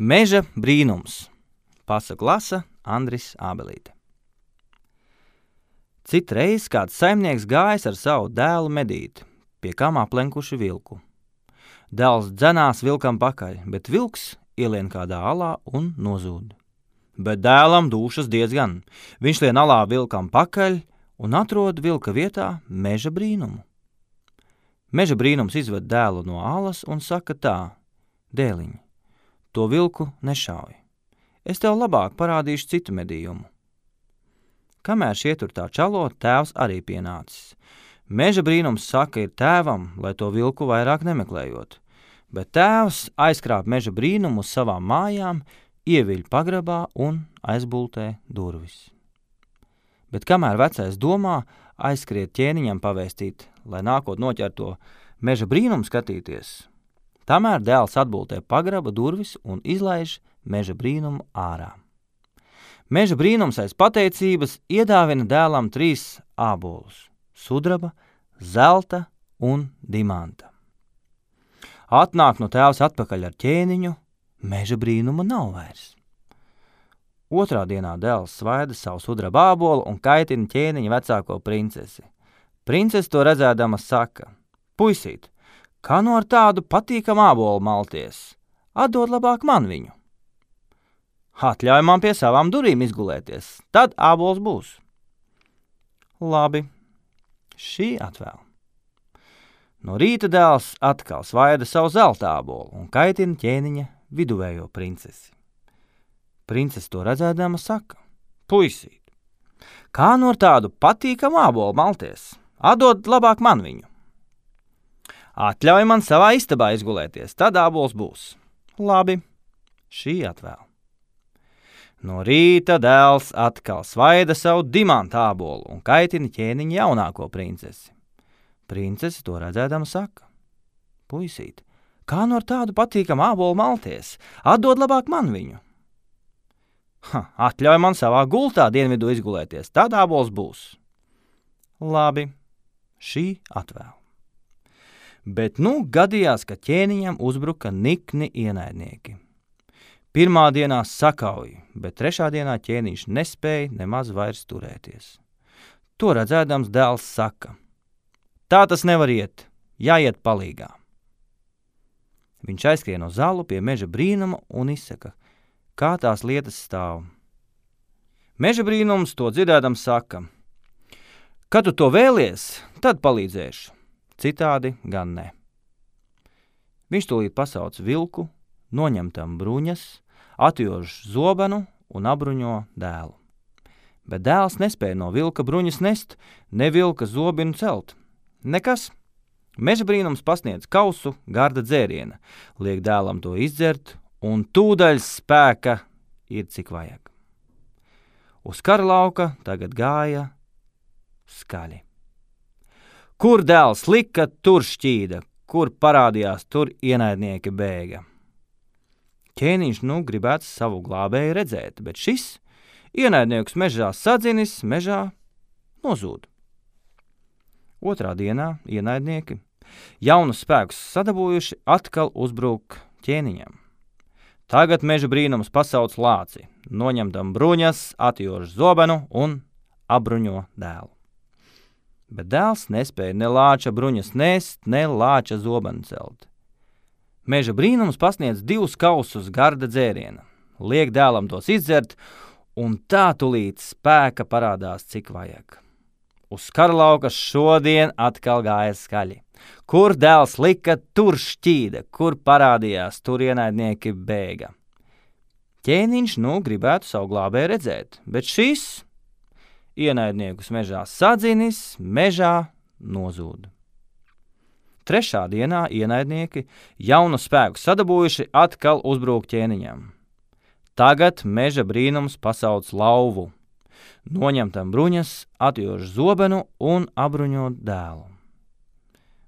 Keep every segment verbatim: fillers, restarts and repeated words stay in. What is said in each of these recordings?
Meža brīnums. Pasaku lasa Andris Ābelīte. Citreiz kāds saimnieks gājis ar savu dēlu medīt, pie kam aplenkuši vilku. Dēls dzenās vilkam pakaļ, bet vilks ielien kādā alā un nozūd. Bet dēlam dūšas diezgan. Viņš lien alā vilkam pakaļ un atrod vilka vietā meža brīnumu. Meža brīnums izved dēlu no alas un saka tā: dēliņ, to vilku nešauj. Es tev labāk parādīšu citu medījumu. Kamēr šie tur tā čalo, tēvs arī pienācis. Meža brīnums saka ir tēvam, lai to vilku vairāk nemeklējot, bet tēvs aizkrāp meža brīnumu uz savām mājām, ieviļ pagrabā un aizbultē durvis. Bet kamēr vecais domā, aizskriet ķēniņam pavēstīt, lai nākot noķer to meža brīnumu skatīties, tamēr dēls atbultē pagraba durvis un izlaiž meža brīnumu ārā. Meža brīnums aiz pateicības iedāvina dēlam trīs ābolus – sudraba, zelta un dimanta. Atnāk no tēvs atpakaļ ar ķēniņu, meža brīnuma nav vairs. Otrā dienā dēls svaida savu sudraba ābolu un kaitina ķēniņa vecāko princesi. Princese to redzēdama saka: puisīt, kā no ar tādu patīkamu ābolu malties? Atdod labāk man viņu. Atļauj man pie savām durīm izgulēties, tad ābols būs. Labi, šī atvēl. No rīta dēls atkal svaida savu zelta ābolu un kaitina ķēniņa viduvējo princesi. Princese to redzēdama saka: puisīt, kā no ar tādu patīkamu ābolu malties? Atdod labāk man viņu. Atļauj man savā istabā izgulēties, tad ābols būs. Labi, šī atvēl. No rīta dēls atkal svaida savu dimanta ābolu un kaitina ķēniņa jaunāko princesi. Princese to redzēdama saka: puisīt, kā no ar tādu patīkamu ābolu malties? Atdod labāk man viņu. Ha, atļauj man savā gultā dienvidu izgulēties, tad ābols būs. Labi, šī atvēl. Bet nu gadījās, ka ķēniņam uzbruka nikni ienaidnieki. Pirmā dienā sakauja, bet trešā dienā ķēniņš nespēja nemaz vairs turēties. To redzēdams dēls saka: tā tas nevar iet, jāiet palīgā. Viņš aizskrien uz zalu pie meža brīnuma un izsaka, kā tās lietas stāv. Meža brīnums to dzirdēdams saka: kad tu to vēlies, tad palīdzēšu, citādi gan ne. Viņš tūlīt pasauc vilku, noņem tam bruņas, atjož zobenu un abruņo dēlu. Bet dēls nespēja no vilka bruņas nest, ne vilka zobinu celt. Nekas. Meža brīnums pasniedz kausu garda dzēriena, liek dēlam to izdzert, un tūdaļ spēka ir cik vajag. Uz kara lauka tagad gāja skaļi. Kur dēls lika, tur šķīda, kur parādījās, tur ienaidnieki bēga. Ķēniņš nu gribētu savu glābēju redzēt, bet šis ienaidniekus mežā sadzinis, mežā nozūd. Otrā dienā ienaidnieki, jaunus spēkus sadabūjuši, atkal uzbruk ķēniņam. Tagad meža brīnums pasauc lāci, noņem tam bruņas, atjož zobenu un abruņo dēlu. Bet dēls nespēja ne lāča bruņas nest, ne lāča zobenu celt. Meža brīnums pasniedz divus kausus garda dzēriena, liek dēlam tos izdzert, un tā tulīt spēka parādās cik vajag. Uz kara lauka šodien atkal gāja skaļi. Kur dēls lika, tur šķīda, kur parādījās, tur ienaidnieki bēga. Ķēniņš nu gribētu savu glābēju redzēt, bet šis ienaidniekus mežā sadzinis, mežā nozūd. Trešā dienā ienaidnieki, jaunu spēku sadabūjuši, atkal uzbrūk ķēniņam. Tagad meža brīnums pasauc lauvu, noņem tam bruņas, atjož zobenu un abruņo dēlu.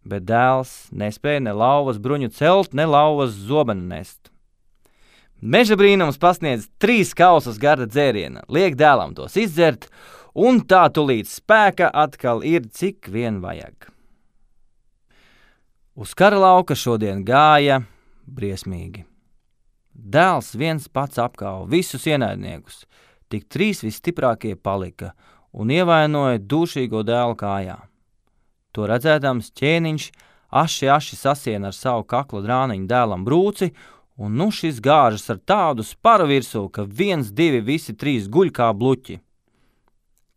Bet dēls nespēja ne lauvas bruņu celt, ne lauvas zobenu nest. Meža brīnums pasniedz trīs kausus garda dzēriena, liek dēlam tos izdzert, un tā tulīt spēka atkal ir cik vien vajag. Uz kara lauka šodien gāja briesmīgi. Dēls viens pats apkāva visus ienaidniekus, tik trīs visstiprākie palika un ievainoja dūšīgo dēlu kājā. To redzēdams ķēniņš aši aši sasiena ar savu kakla drāniņu dēlam brūci, un nu šis gāžas ar tādu sparu virsū, ka viens, divi, visi trīs guļ kā bluķi.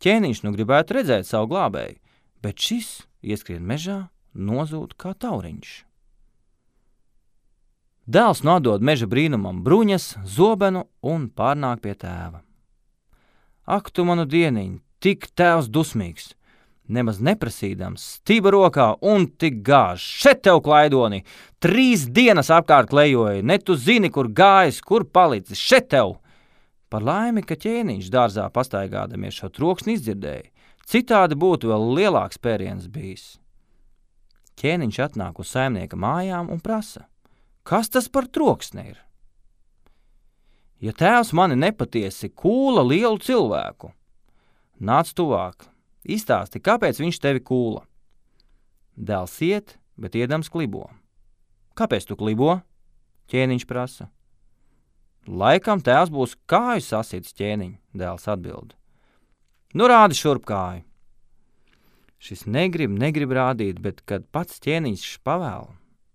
Ķēniņš nu gribētu redzēt savu glābēju, bet šis ieskrien mežā, nozūd kā tauriņš. Dēls nodod meža brīnumam bruņas, zobenu un pārnāk pie tēva. Ak, tu manu dieniņ, tik tēvs dusmīgs! Nemaz neprasīdams, stība rokā un tik gāž. Šet tev, klaidoni! Trīs dienas apkārt klejoja, ne tu zini, kur gājis, kur palicis. Šet tev! Par laimi, ka ķēniņš dārzā pastaigādamies šo troksni izdzirdēja. Citādi būtu vēl lielāks pēriens bijis. Ķēniņš atnāk uz saimnieka mājām un prasa: kas tas par troksni ir? Ja tēvs mani nepatiesi kūla lielu cilvēku, nāc tuvāk. Izstāsti, kāpēc viņš tevi kūla. Dēls iet, bet iedams klibo. Kāpēc tu klibo? Ķēniņš prasa. Laikam tēvs būs kāju sasits, ķēniņ, dēls atbild. Nu rādi šurp kāju. Šis negrib, negrib rādīt, bet kad pats ķēniņš pavēl,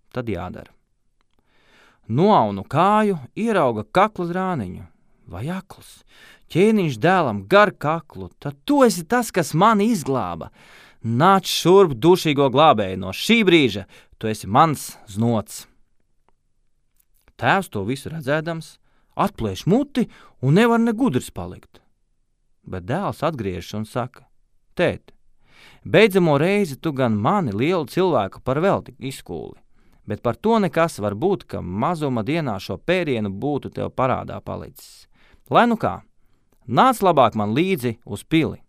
tad jādara. Noaunu kāju, ierauga kakla drāniņu. Vai akls? Ķēniņš dēlam gar kaklu, tad tu esi tas, kas mani izglāba. Nāc šurp, dušīgo glābēju, no šī brīža tu esi mans znots. Tēvs to visu redzēdams, atplēš muti un nevar ne gudrs palikt. Bet dēls atgriežas un saka: tēt, beidzamo reizi tu gan mani lielu cilvēku par velti izkūli, bet par to nekas var būt, ka mazuma dienā šo pērienu būtu tev parādā palicis. Lai nu kā, nāc labāk man līdzi uz pili.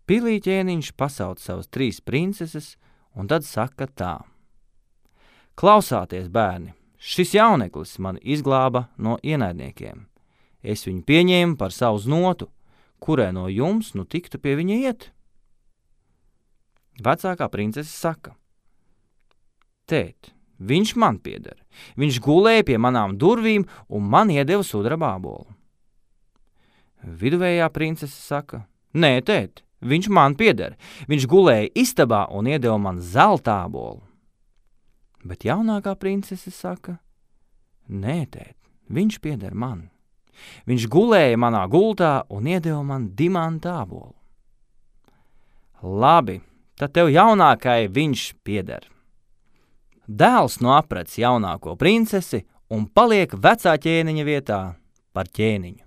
Pilī ķēniņš pasauc savas trīs princeses un tad saka tā: klausāties, bērni, šis jauneklis man izglāba no ienaidniekiem. Es viņu pieņēmu par savu znotu, kurai no jums nu tiktu pie viņa iet. Vecākā princese saka: tēt, viņš man pieder. Viņš gulēja pie manām durvīm un man iedeva sudraba ābolu. Viduvējā princese saka: nē, tēt, viņš man pieder. Viņš gulēja istabā un iedeva man zelta ābolu. Bet jaunākā princese saka: nē, tēt, viņš pieder man. Viņš gulēja manā gultā un iedeva man dimanta ābolu. Labi, tad tev jaunākai viņš pieder. Dēls nu aprec jaunāko princesi un paliek vecā ķēniņa vietā par ķēniņu.